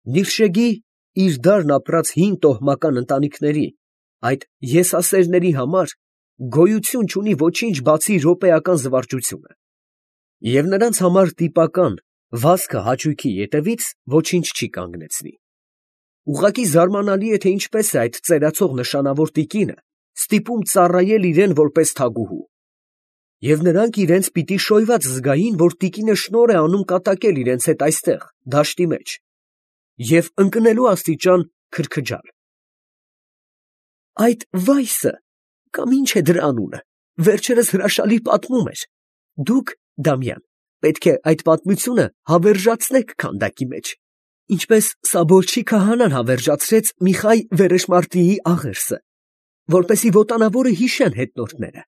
Նիռշեգի իր դարն ապրած հին տոհմական ընտանիքների, այդ եսասերների համար գոյություն չունի ոչինչ, բացի րոպեական զվարճությունը, և նրանց համար տիպական վազքը հաճույքի ետևից ոչինչ չի կանգնեցնի։ Ուղղակի զարմանալի է, թե ինչպես է այդ ծերացող նշանավոր տիկինը ստիպում ծառայել իրան որպես թագուհու, և նրանք իրենց պիտի շոյված զգային, որ տիկինը շնորհ է անում կատակել իրենց հետ այստեղ, դաշտի մեջ, և ընկնելու աստիճան քրքջալ։ Այդ Վայսը, կամ ինչ է դրա անունը, վերջերս հրաշալի պատմում էր. դուք, Դամյան, պետք է այդ պատմությունը հավերժացնեք քանդակի մեջ, ինչպես Սաբոլչի քահանան հավերժացրեց Միխայ Վերեշմարտիի աղերսը, որպեսզի ոտանավորը հիշեն հետնորդները։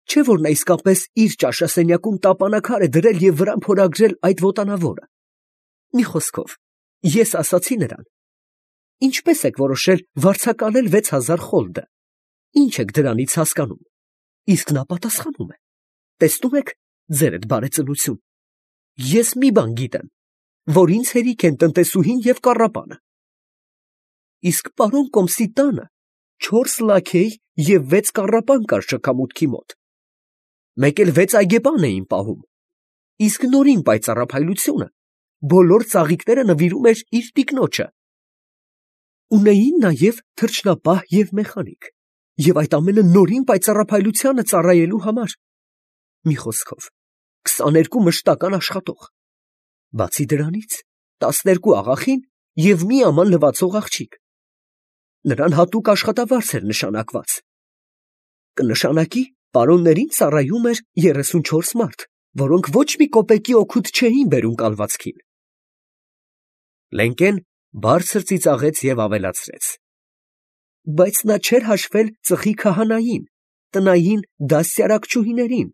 Չէ՞ որ նա իսկապես իր ճաշասենյակում տապանաքար է դրել և վրան փորագրել այդ ոտանավորը։ Մի խոսքով, ես ասացի նրան. ինչպես եք որոշել վարձակալել 6000 խոլդը, ինչ եք դրանից հասկանում։ Իսկ նա պատասխանում է. տեսնում եք, ձերդ բարեծնություն, ես մի բան գիտեմ, որ ինձ հերիք են տնտեսուհին և կառապանը։ Իսկ պարոն Կոմսի տանը 4 լաքեյ և 6 կառապան կար շքամուտքի մոտ, մեկ էլ 6 այգեպան էին պահում, իսկ նորին պայծառափայլությունը բոլոր ծաղիկները նվիրում էր իր տիկնոջը։ Ունեին նաև թռչնապահ և մեխանիկ, և այդ ամենը նորին պայծառափայլությանը ծառայելու համար։ Մի խոսքով, 22 մշտական աշխատող, բացի դրանից 12 աղախին և մի աման լվացող աղջիկ։ Նրան հատուկ աշխատավարձ էր նշանակված։ Կնշանակի, պարոններին ծառայում էր 34 մարդ, որոնք ոչ մի կոպեկի օգուտ չէին բերում կալվածքին։ Լենկեն բարձր ծիծաղեց և ավելացրեց. բայց նա չէր հաշվել ծխի քահանային, տնային դաստիարակչուհիներին,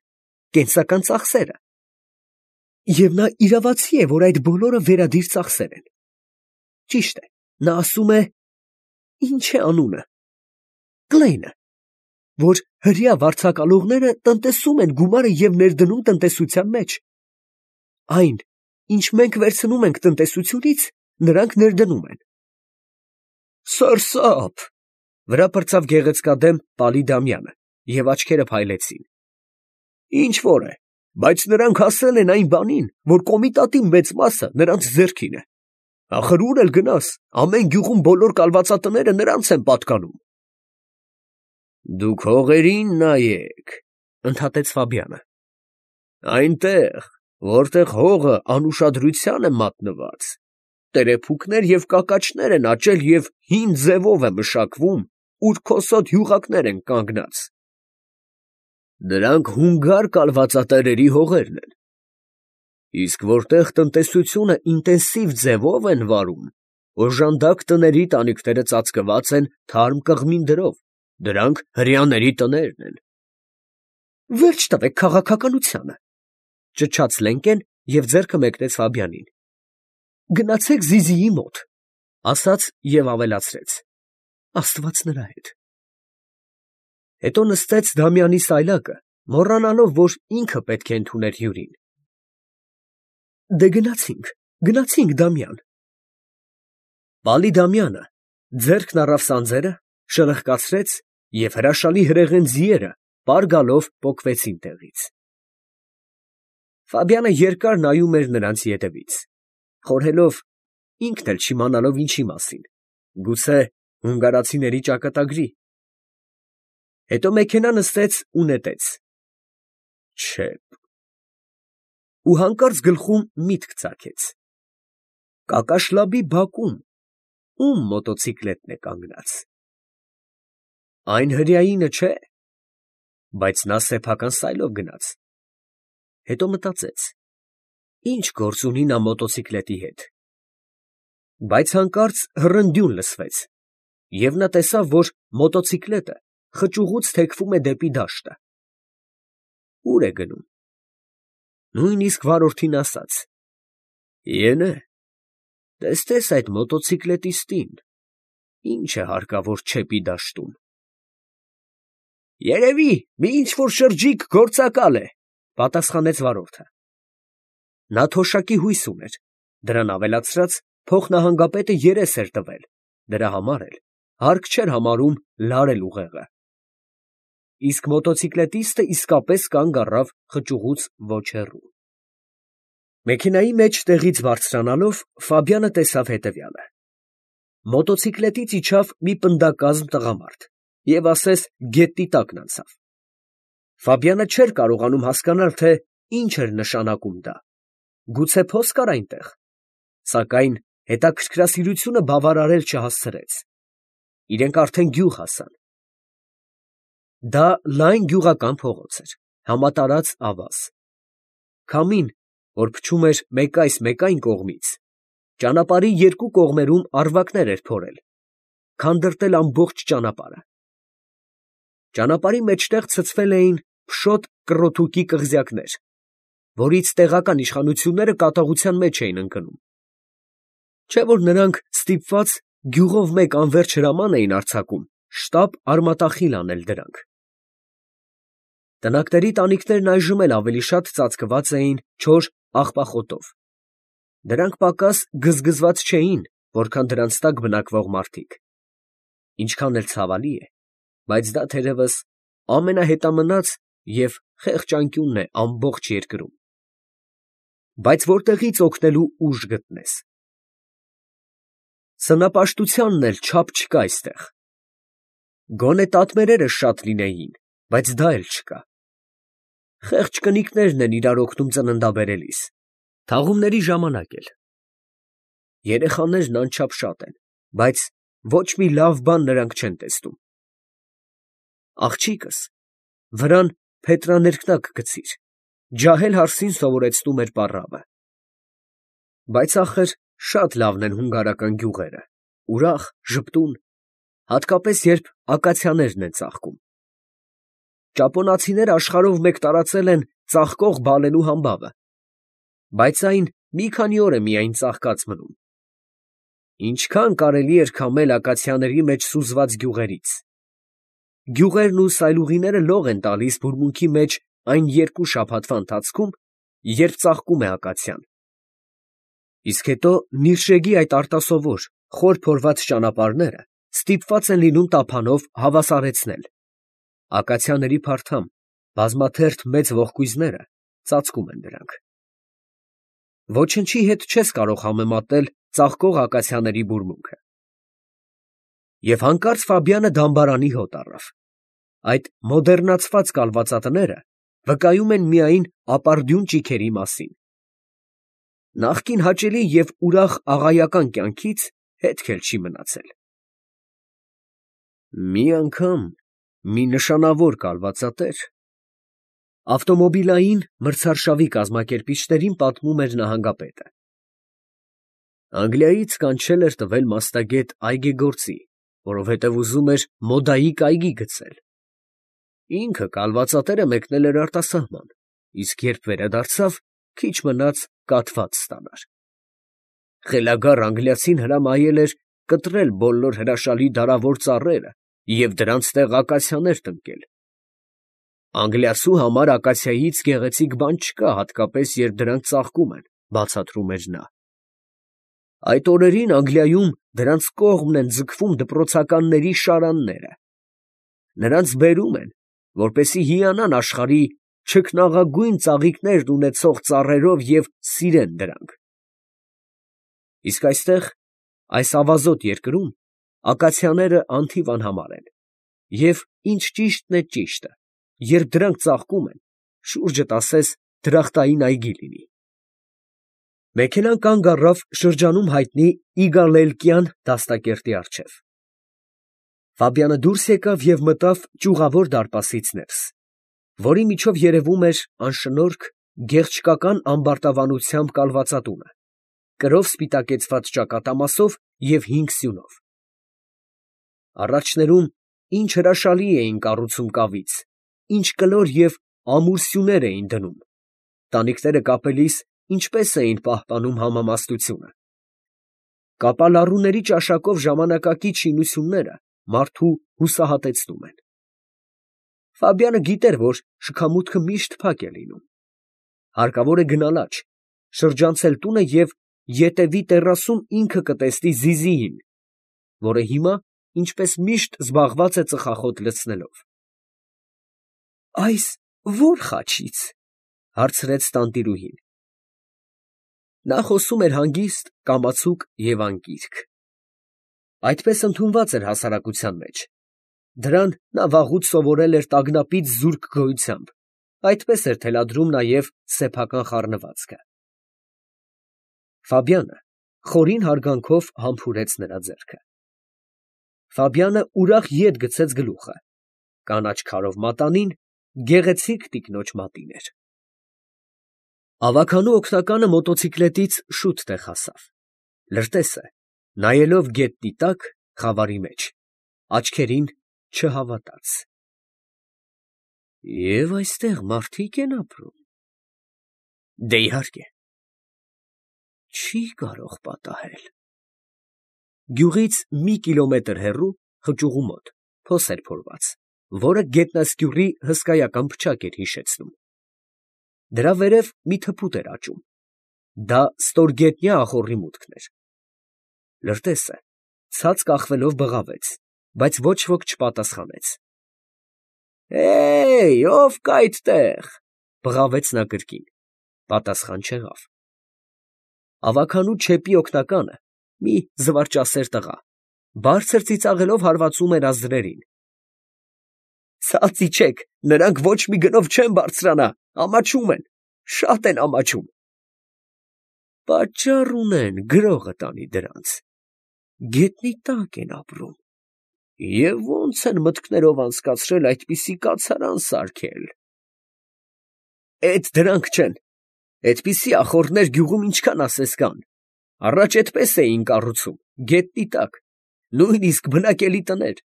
կենսական ծախսերը։ Եվ նա իրավացի է, որ այդ բոլորը վերադիր ծախսեր են։ Ճիշտ է, նա ասում է, ինչ է անունը, Կլեյնը, որ հրեա վարձակալողները տնտեսում են գումարը և ներդնում տնտեսության մեջ։ Այն, ինչ մենք վերցնում ենք տնտեսությունից, նրանք ներդնում են։ Սարսափ, վրա պրծավ գեղեցկադեմ Պալի Դամյանը, և աչքերը փայլեցին։ Ինչ որ է, բայց նրանք հասել են այն բանին, որ կոմիտատի մեծ մասը նրանց ձեռքին է։ Ախր ուր էլ գնաս, ամեն գյուղում բոլոր կալվածատները նրանց են պատկանում։ Դուք հողերին նայեք, ընդհատեց Ֆաբյանը։ Այնտեղ, որտեղ հողը անուշադրության է մատնված, տերեփուկներ և կակաչներ են աճել և հին ձևով է մշակվում, ուր քոսոտ յուղակներ են կանգնած։ Դրանք հունգար կալվածատերերի հողերն են։ Իսկ որտեղ տնտեսությունը ինտենսիվ ձևով են վարում, օժանդակ տների տանիքները ծածկված են թարմ կղմինդրով, դրանք հրեաների տներն են։ Վերջ տվեք քաղաքականությանը, ճչաց Լենկեն և ձեռքը մեկնեց Ֆաբյանին։ Գնացեք Զիզիի մոտ, ասաց և ավելացրեց. Աստված նրա հետ։ Հետո նստեց Դամյանի սայլակը, մոռանալով, որ ինքը պետք է ընդուներ հյուրին։ Դե գնացինք, Դամյան։ Պալի Դամյանը ձեռքն առավ սանձերը, շրխկացրեց, և հրաշալի հրեղեն ձիերը պար գալով պոկվեցին տեղից։ Ֆաբյանը երկար նայում էր նրանց ետևից, խորհելով, ինքն էլ չիմանալով ինչի մասին, գուցե հունգարացիների ճակատագրի։ Հետո մեքենա նստեց ու նետեց։ Չեփ։ Ու հանկարծ գլխում միտք ծագեց. Կակաշլաբի բակում ում մոտոցիկլետն է կանգնած։ Այն հրեայինը չէ, բայց նա սեփական սայլով գնաց։ Հետո մտածեց. ինչ գործ ունի նա մոտոցիկլետի հետ։ Բայց հանկարծ հռնդյուն լսվեց, և նա տեսավ, որ մոտոցիկլետը խճուղուց թեքվում է դեպի դաշտը։ Ո՞ւր է գնում։ Նույնիսկ վարորդին ասաց. Ենե, տեսնես այդ մոտոցիկլետիստին, ինչ է հարկավոր չեպի դաշտում։ Երևի մի ինչ֊որ շրջիկ գործակալ է, պատասխանեց վարորդը։ Նա թոշակի հույս ուներ, դրան ավելացրած, փոխնահանգապետը երես էր տվել, դրա համար էլ հարկ չէր համարում լարել ուղեղը։ Իսկ մոտոցիկլետիստը իսկապես կանգ առավ խճուղուց ոչ հեռու։ Մեքենայի մեջ տեղից բարձրանալով Ֆաբյանը տեսավ հետևյալը. մոտոցիկլետից իջավ մի պնդակազմ տղամարդ և ասես գետնի տակն անցավ։ Ֆաբյանը չէր կարողանում հասկանալ, թե ինչ էր նշանակում դա, գուցե փոս կար այնտեղ, սակայն հետաքրքրասիրությունը բավարարել չհասցրեց։ Իրենք արդեն գյուղ հասան։ Դա լայն գյուղական փողոց էր, համատարած ավազ։ Քամին, որ փչում էր մեկ այս մեկ այն կողմից, ճանապարհի երկու կողմերում առվակներ էր փորել, քանդրտել ամբողջ ճանապարհը։ Ճանապարհի մեջտեղ ցցվել էին փշոտ կռոթուկի կղզյակներ, որից տեղական իշխանությունները կատաղության մեջ էին ընկնում։ Չէ՞ որ նրանք ստիպված գյուղով մեկ անվերջ հրաման էին արձակում շտապ արմատախիլ անել դրանք։ Տնակների տանիքներն այժմ էլ ավելի շատ ծածկված էին չոր աղբախոտով։ Դրանք պակաս գզգզված չէին, որքան դրանց տակ բնակվող մարդիկ։ Ինչքան էլ ցավալի է, բայց դա թերևս ամենահետամնաց և խեղճ անկյունն է ամբողջ երկրում։ Բայց որտեղի՞ց օգնելու ուժ գտնես։ Սնապաշտությանն էլ չափ չկա այստեղ։ Գոնե տատմերերը շատ լինեին, բայց դա էլ չկա։ Խեղճ կնիկներն են իրար օգնում ծննդաբերելիս, թաղումների ժամանակ էլ։ Երեխաներն անչափ շատ են, բայց ոչ մի լավ բան նրանք չեն տեսնում։ Աղջիկս վրան փետրաներկնակ գցիր, ջահել հարսին սովորեցնում էր պառավը։ Բայց ախր շատ լավն են հունգարական գյուղերը, ուրախ, ժպտուն, հատկապես երբ ակացիաներն են ծաղկում։ Ճապոնացիները աշխարհով մեկ տարածել են ծաղկող բալենու համբավը, բայց այն մի քանի օր է միայն ծաղկած մնում։ Ինչքան կարելի էր քամել ակացիաների մեջ սուզված գյուղերից։ Գյուղերն ու սայլուղիները լող են տալիս բուրմունքի մեջ այն երկու շաբաթվա ընթացքում, երբ ծաղկում է ակացիան։ Իսկ հետո նիրշեգի այդ արտասովոր, խոր փորված ճանապարհները ստիպված են լինում տափանով հավասարեցնել։ Ակացիաների փարթամ, բազմաթերթ մեծ ողկույզները ծածկում են դրանք։ Ոչնչի հետ չես կարող համեմատել ծաղկող ակացիաների բուրմունքը։ Եվ հանկարծ Ֆաբյանը դամբարանի հոտ առավ։ Այդ մոդեռնացված կալվածատները վկայում են միայն ապարդյուն ճիգերի մասին։ Նախկին հաճելի և ուրախ աղայական կյանքից հետք էլ չի մնացել։ Մի անգամ մի նշանավոր կալվածատեր ավտոմոբիլային մրցարշավի կազմակերպիչներին պատմում էր նահանգապետը։ Անգլիայից կանչել էր տվել մասնագետ այգեգործի, որովհետև ուզում էր մոդայիկ այգի գցել։ Ինքը կալվածատերը մեկնել էր արտասահման, իսկ երբ վերադարձավ, քիչ մնաց կաթված ստանար։ Խելագար անգլիացին հրամայել էր կտրել բոլոր հրաշալի դարավոր ծառերը և դրանց տեղ ակացիաներ տնկել։ Անգլիացու համար ակացիայից գեղեցիկ բան չկա, հատկապես երբ դրանք ծաղկում են, բացատրում էր նա։ Այդ օրերին Անգլիայում դրանց կողմն են ձգվում դպրոցականների շարանները։ Նրանց բերում են, որպեսզի հիանան աշխարհի չքնաղագույն ծաղիկներն ունեցող ծառերով և սիրեն դրանք։ Իսկ այստեղ, այս ավազոտ երկրում, ակացիաները անթիվ անհամար են, և ինչ ճիշտն է ճիշտը, երբ դրանք ծաղկում են, շուրջդ ասես դրախտային այգի լինի։ Մեքենան կանգ առավ շրջանում հայտնի Իգալելկյան դաստակերտի առջև։ Ֆաբյանը դուրս եկավ և մտավ ճյուղավոր դարպասից ներս, որի միջով երևում էր անշնորհք գեղչկական ամբարտավանությամբ կալվածատունը, կրով սպիտակեցված ճակատամասով և 5 սյունով։ Առաջներում ինչ հրաշալի էին կառուցում կավից, ինչ կլոր և ամուր սյուներ էին դնում, տանիքները կապելիս ինչպես էին պահպանում համամասնությունը։ Կապալառուների ճաշակով ժամանակակից շինությունները մարդու հուսահատեցնում են։ Ֆաբյանը գիտեր, որ շքամուտքը միշտ փակ է լինում։ Հարկավոր է գնալ աջ, շրջանցել տունը և ետևի տեռասում ինքը կտեսնի Զիզիին, որը հիմա, ինչպես միշտ, զբաղված է ծխախոտ լցնելով։ Այս ո՞ր խաչից, հարցրեց տանտիրուհին։ Նա խոսում էր հանգիստ, կամացուկ և անկիրք։ Այդպես ընդունված էր հասարակության մեջ։ Դրան նա վաղուց սովորել էր տագնապից զուրկ գոյությամբ, այդպես էր թելադրում նաև սեփական խառնվածքը։ Ֆաբյանը խորին հարգանքով համբուրեց նրա ձեռքը։ Ֆաբյանը ուրախ ետ գցեց գլուխը, կանաչ քարով մատանին, գեղեցիկ տիկնոջ մատին էր։ Ավագանու օգնականը մոտոցիկլետից շուտ տեղ հասավ։ Լրտեսը, նայելով գետնի տակ, խավարի մեջ, աչքերին չհավատաց։ Եվ այստեղ մարդիկ են ապրում։ Դե իհարկե։ Չի կարող պատահել։ Գյուղից մի կիլոմետր հեռու, խճուղու մոտ, փոս էր փորված, որը գետնասկյուռի հսկայական փչակ էր հիշեցնում։ Դրա վերև մի թփուտ էր աճում։ Դա ստորգետնյա ախոռի մուտքն էր։ Լրտեսը ցած կախվելով բղավեց, բայց ոչ ոք չպատասխանեց։ Ով կա այդտեղ, բղավեց նա կրկին։ Պատասխան չեղավ։ Ավագանու չեպի օգնականը, մի զվարճասեր տղա, բարձր ծիծաղելով հարվածում էր ազդրերին։ Ցած իջեք, նրանք ոչ մի գնով չեն բարձրանա, ամաչում են, շատ են ամաչում։ Պատճառ ունեն, գրողը տանի դրանց։ Գետնի տակ են ապրում։ Եվ ո՞նց են մտքներով անցկացրել այդպիսի կացարան սարքել։ Էդ դրանք չեն, այդպիսի ախոռներ գյուղում ինչքան ասես կան։ Առաջ այդպես էին կառուցում, գետնի տակ, նույնիսկ բնակելի տներ։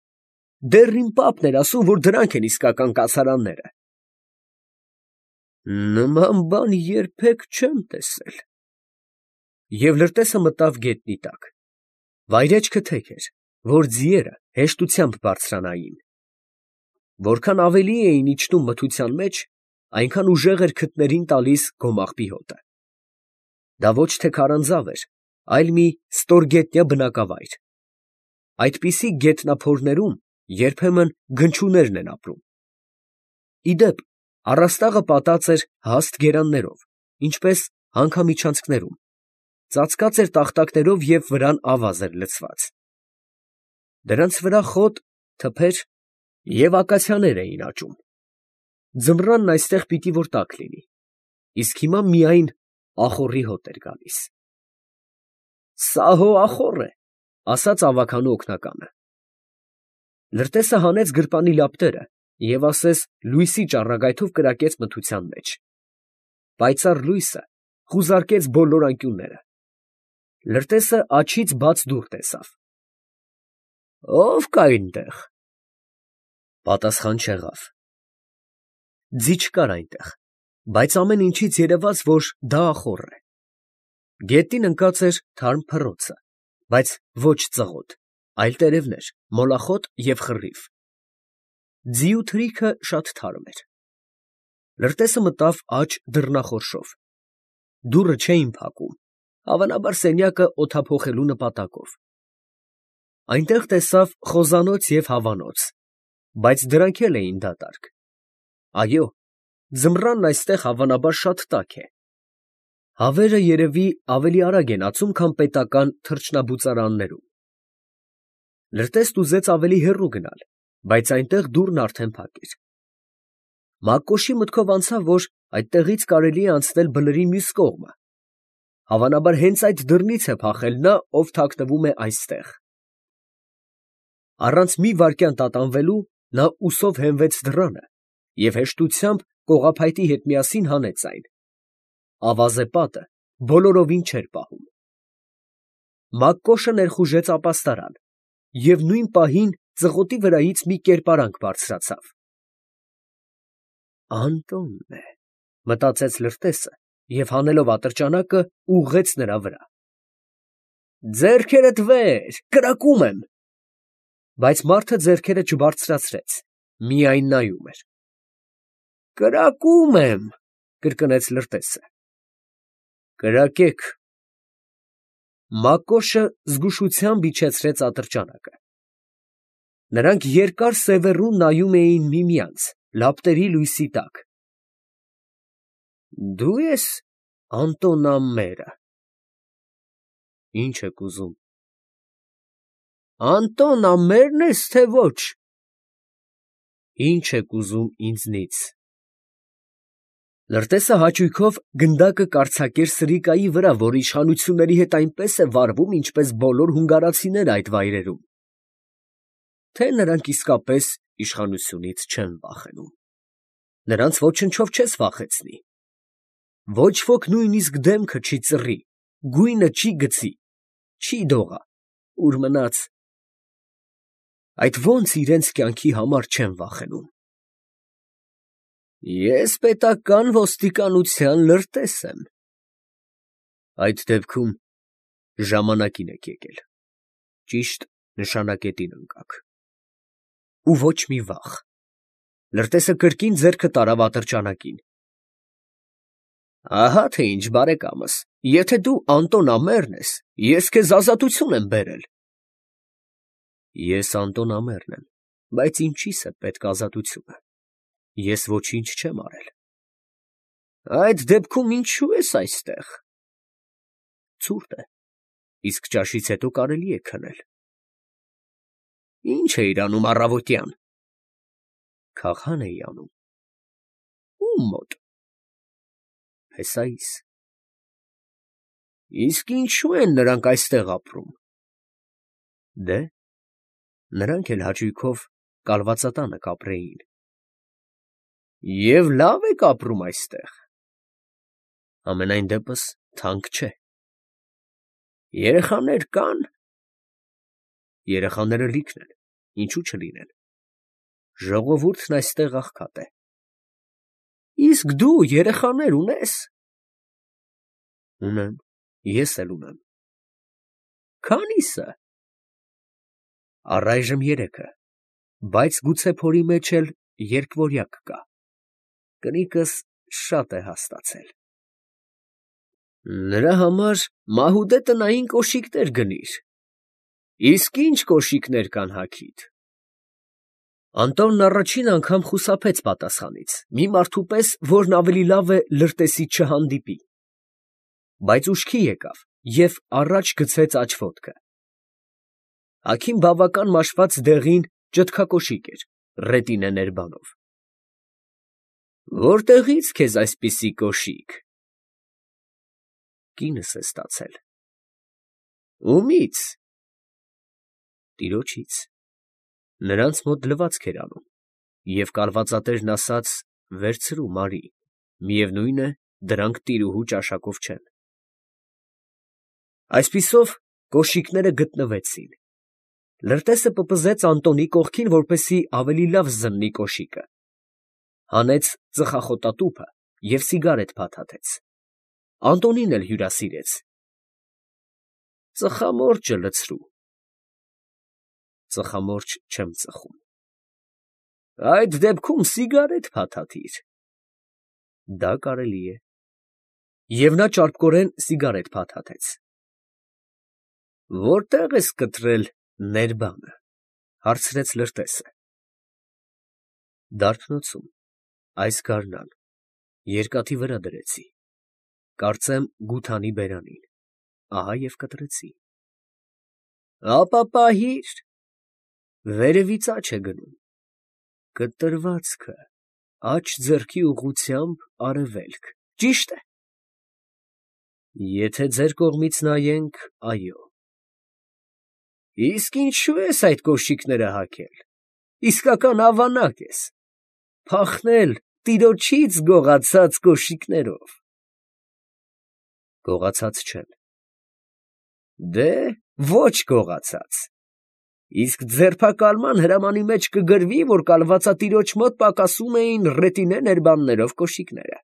Դեռ իմ պապն էր ասում, որ դրանք են իսկական կացարանները։ Նման բան երբեք չեմ տեսել։ Եվ լրտեսը մտավ գետնի տակ։ Վայրեջքը թեք էր, որ ձիերը հեշտությամբ բարձրանային։ Որքան ավելի էին իջնում մթության մեջ, այնքան ուժեղ էր քթներին տալիս գոմաղբի հոտը։ Դա ոչ թե քարանձավ էր, այլ մի ստորգետնյա բնակավայր։ Այդպիսի գետնափորներում երբեմն գնչուներն են ապրում։ Ի դեպ, առաստաղը պատած էր հաստ գերաններով, ինչպես հանքամիջանցքներում, ծածկած էր տախտակներով և վրան ավազ էր լցված։ Դրանց վրա խոտ, թփեր և ակացիաներ էին աճում։ Ձմռանն այստեղ պիտի որ տաք լինի, իսկ հիմա միայն ախոռի հոտ էր գալիս։ Սա հո ախոռ է, ասաց ավագանու օգնականը։ Լրտեսը հանեց գրպանի լապտերը և ասես լույսի ճառագայթով կրակեց մթության մեջ։ Պայծառ լույսը խուզարկեց բոլոր անկյունները։ Լրտեսը աջից բաց դուռ տեսավ։ Ո՞վ կա այնտեղ։ Պատասխան չեղավ։ Ձի չկար այնտեղ, բայց ամեն ինչից երևաց, որ դա ախոռ է։ Գետին ընկած էր թարմ փռոցը, բայց ոչ ծղոտ, այլ տերևներ, մոլախոտ և խռիվ։ Ձիու թրիքը շատ թարմ էր։ Լրտեսը մտավ աջ դռնախորշով։ Դուռը չէին փակում, հավանաբար սենյակը օդափոխելու նպատակով։ Այնտեղ տեսավ խոզանոց և հավանոց, բայց դրանք էլ էին դատարկ։ Այո, ձմռանն այստեղ հավանաբար շատ տաք է։ Հավերը երևի ավելի արագ են ածում, քան պետական թռչնաբուծարաններում։ Լրտեսն ուզեց ավելի հեռու գնալ, բայց այնտեղ դուռն արդեն փակ էր։ Մակկոշի մտքով անցավ, որ այդտեղից կարելի է անցնել բլրի մյուս կողմը։ Հավանաբար հենց այդ դռնից է փախել նա, ով թաքնվում է այստեղ։ Առանց մի վայրկյան տատանվելու նա ուսով հենվեց դռանը և հեշտությամբ կողափայտի հետ միասին հանեց այն։ Ավազե պատը բոլորովին չէր պահում։ Մակկոշը ներխուժեց ապաստարան և նույն պահին ծղոտի վրայից մի կերպարանք բարձրացավ։ Անտոնն է, մտածեց լրտեսը և հանելով ատրճանակը ուղղեց նրա վրա։ Ձեռքերդ վեր, կրակում եմ։ Բայց մարդը ձեռքերը չբարձրացրեց, միայն նայում էր։ Կրակում եմ, կրկնեց լրտեսը։ Կրակեք, Մակոշը զգուշությամբ իջեցրեց ատրճանակը։ Նրանք երկար սևեռուն նայում էին միմյանց, լապտերի լույսի տակ։ Դու ես Անտոն Ամմերը։ Ինչ եք ուզում։ Անտոն Ամմերն ես, թե ոչ։ Ինչ եք ուզում ինձնից։ Լրտեսը հաճույքով գնդակը կարձակեր Սրիկայի վրա, որ իշխանությունների հետ այնպես է վարվում, ինչպես բոլոր հունգարացիները այդ վայրերում։ Թե նրանք իսկապես իշխանությունից չեն վախենում։ Նրանց ոչնչով չես վախեցնի։ Ոչ ոք նույնիսկ դեմքը չի ծռի, գույնը չի գցի, չի դողա, ուր մնաց։ Այդ ո՞նց իրենց կյանքի համար չեն վախենում։ Ես պետական ոստիկանության լրտես եմ։ Այդ դեպքում ժամանակին եք եկել։ Ճիշտ նշանակետին ընկաք։ Ու ոչ մի վախ։ Լրտեսը կրկին ձեռքը տարավ ատրճանակին։ Ահա թե ինչ, բարեկամս, եթե դու Անտոն Ամմերն ես, ես քեզ ազատություն եմ բերել։ Ես Անտոն Ամմերն եմ, բայց ինչի՞ս է պետք ազատությունը։ Ես ոչինչ չեմ արել։ Այդ դեպքում ինչու ես այստեղ։ Ցուրտ է, իսկ ճաշից հետո կարելի է քնել։ Ինչ էիր անում առավոտյան։ Քաղաք էի անում։ Ում մոտ։ Հեսայիս։ Իսկ ինչու են նրանք այստեղ ապրում։ Դե, նրանք էլ հաճույքով կալվածատանը կապրեին։ Եվ լավ եք ապրում այստեղ։ Ամենայն դեպս թանկ չէ։ Երեխաներ կան։ Երեխաները լիքն են, ինչու չլինեն։ Ժողովուրդն այստեղ աղքատ է։ Իսկ դու երեխաներ ունես։ Ունեմ, ես էլ ունեմ։ Քանի՞սը։ Առայժմ 3-ը, բայց գուցե փորի մեջ էլ երկվորյակ կա։ Կնիկս շատ է հաստացել։ Նրա համար մահուդե տնային կոշիկներ գնիր։ Իսկ ինչ կոշիկներ կան հագիդ։ Անտոնն առաջին անգամ խուսափեց պատասխանից, մի մարդու պես, որն ավելի լավ է լրտեսից չհանդիպի։ Բայց ուշքի եկավ և առաջ գցեց աջ ոտքը։ Հագին բավական մաշված դեղին ճտկակոշիկ էր, ռետինե ներբանով։ Որտեղի՞ց քեզ այսպիսի կոշիկ։ Կինս է ստացել։ Ումի՞ց։ Տիրոջից։ Նրանց մոտ լվացք էր անում, և կալվածատերն ասաց. վերցրու, Մարի, միևնույն է, դրանք տիրուհու ճաշակով չեն։ Այսպիսով կոշիկները գտնվեցին։ Լրտեսը պպզեց Անտոնի կողքին, որպեսզի ավելի լավ զննի կոշիկը։ Հանեց ծխախոտատուփը և սիգարետ փաթաթեց։ Անտոնին էլ հյուրասիրեց։ Ծխամորճը լցրու։ Ծխամորճ չեմ ծխում։ Այդ դեպքում սիգարետ փաթաթիր։ Դա կարելի է։ Եվ նա ճարպկորեն սիգարետ փաթաթեց։ Որտե՞ղ ես կտրել ներբանը, հարցրեց լրտեսը։ Դարբնոցում, այս գարնան, երկաթի վրա դրեցի, կարծեմ գութանի բերանին, ահա և կտրեցի։ Ապա պահիր, վերևից աջ է գնում, կտրվածքը, աջ ձեռքի ուղղությամբ արևելք, ճիշտ է։ Եթե ձեր կողմից նայենք, այո։ Իսկ ինչու ես այդ կոշիկները հագել, իսկական ավանակ ես, փախնել տիրոջից գողացած կոշիկներով։ Գողացած չեն։ Դե, ոչ գողացած։ Իսկ ձերբակալման հրամանի մեջ կգրվի, որ կալվածատիրոջ մոտ պակասում էին ռետինե ներբաններով կոշիկները։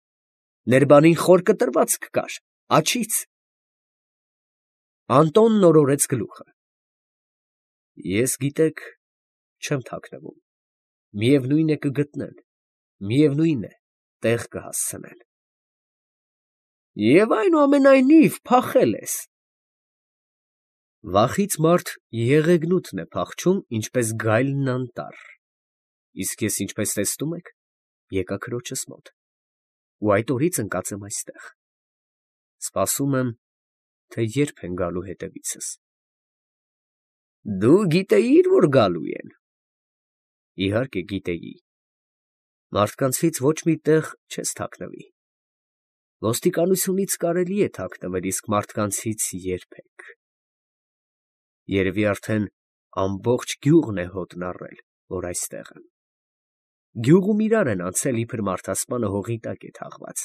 Ներբանին խոր կտրվածք կար, աջից։ Անտոնն օրորեց գլուխը։ Ես, գիտեք, չեմ թաքնվում, միևնույն է կգտնեն, միևնույն է տեղ կհասցնեն։ Եվ այնուամենայնիվ փախել ես։ Վախից մարդ եղեգնուտն է փախչում, ինչպես գայլն անտառ, իսկ ես ինչպես տեսնում եք, եկա քրոջս մոտ, ու այդ օրից ընկած եմ այստեղ, սպասում եմ, թե երբ են գալու հետևիցս։ Դու գիտեի՞ր, որ գալու են։ Իհարկե գիտեի։ Մարդկանցից ոչ մի տեղ չես թաքնվի։ Ոստիկանությունից կարելի է թաքնվել, իսկ մարդկանցից երբեք։ Երևի արդեն ամբողջ գյուղն է հոտն առել, որ այստեղ եմ։ Գյուղում իրար են անցել, իբր մարդասպանը հողի տակ է թաղված։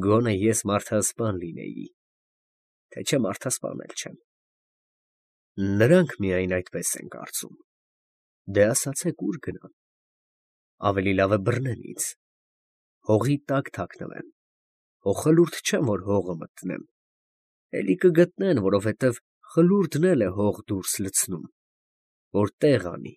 Գոնե ես մարդասպան լինեի, թե չէ մարդասպան էլ չեմ։ Նրանք միայն այդպես են կարծում։ Դե ասացեք, ուր գնամ։ Ավելի լավ է բռնեն ինձ, հողի տակ թաքնվեմ, հո խլուրդ չեմ, որ հողը մտնեմ, էլի կգտնեն, որովհետև խլուրդն էլ է հող դուրս լցնում, որ տեղ անի,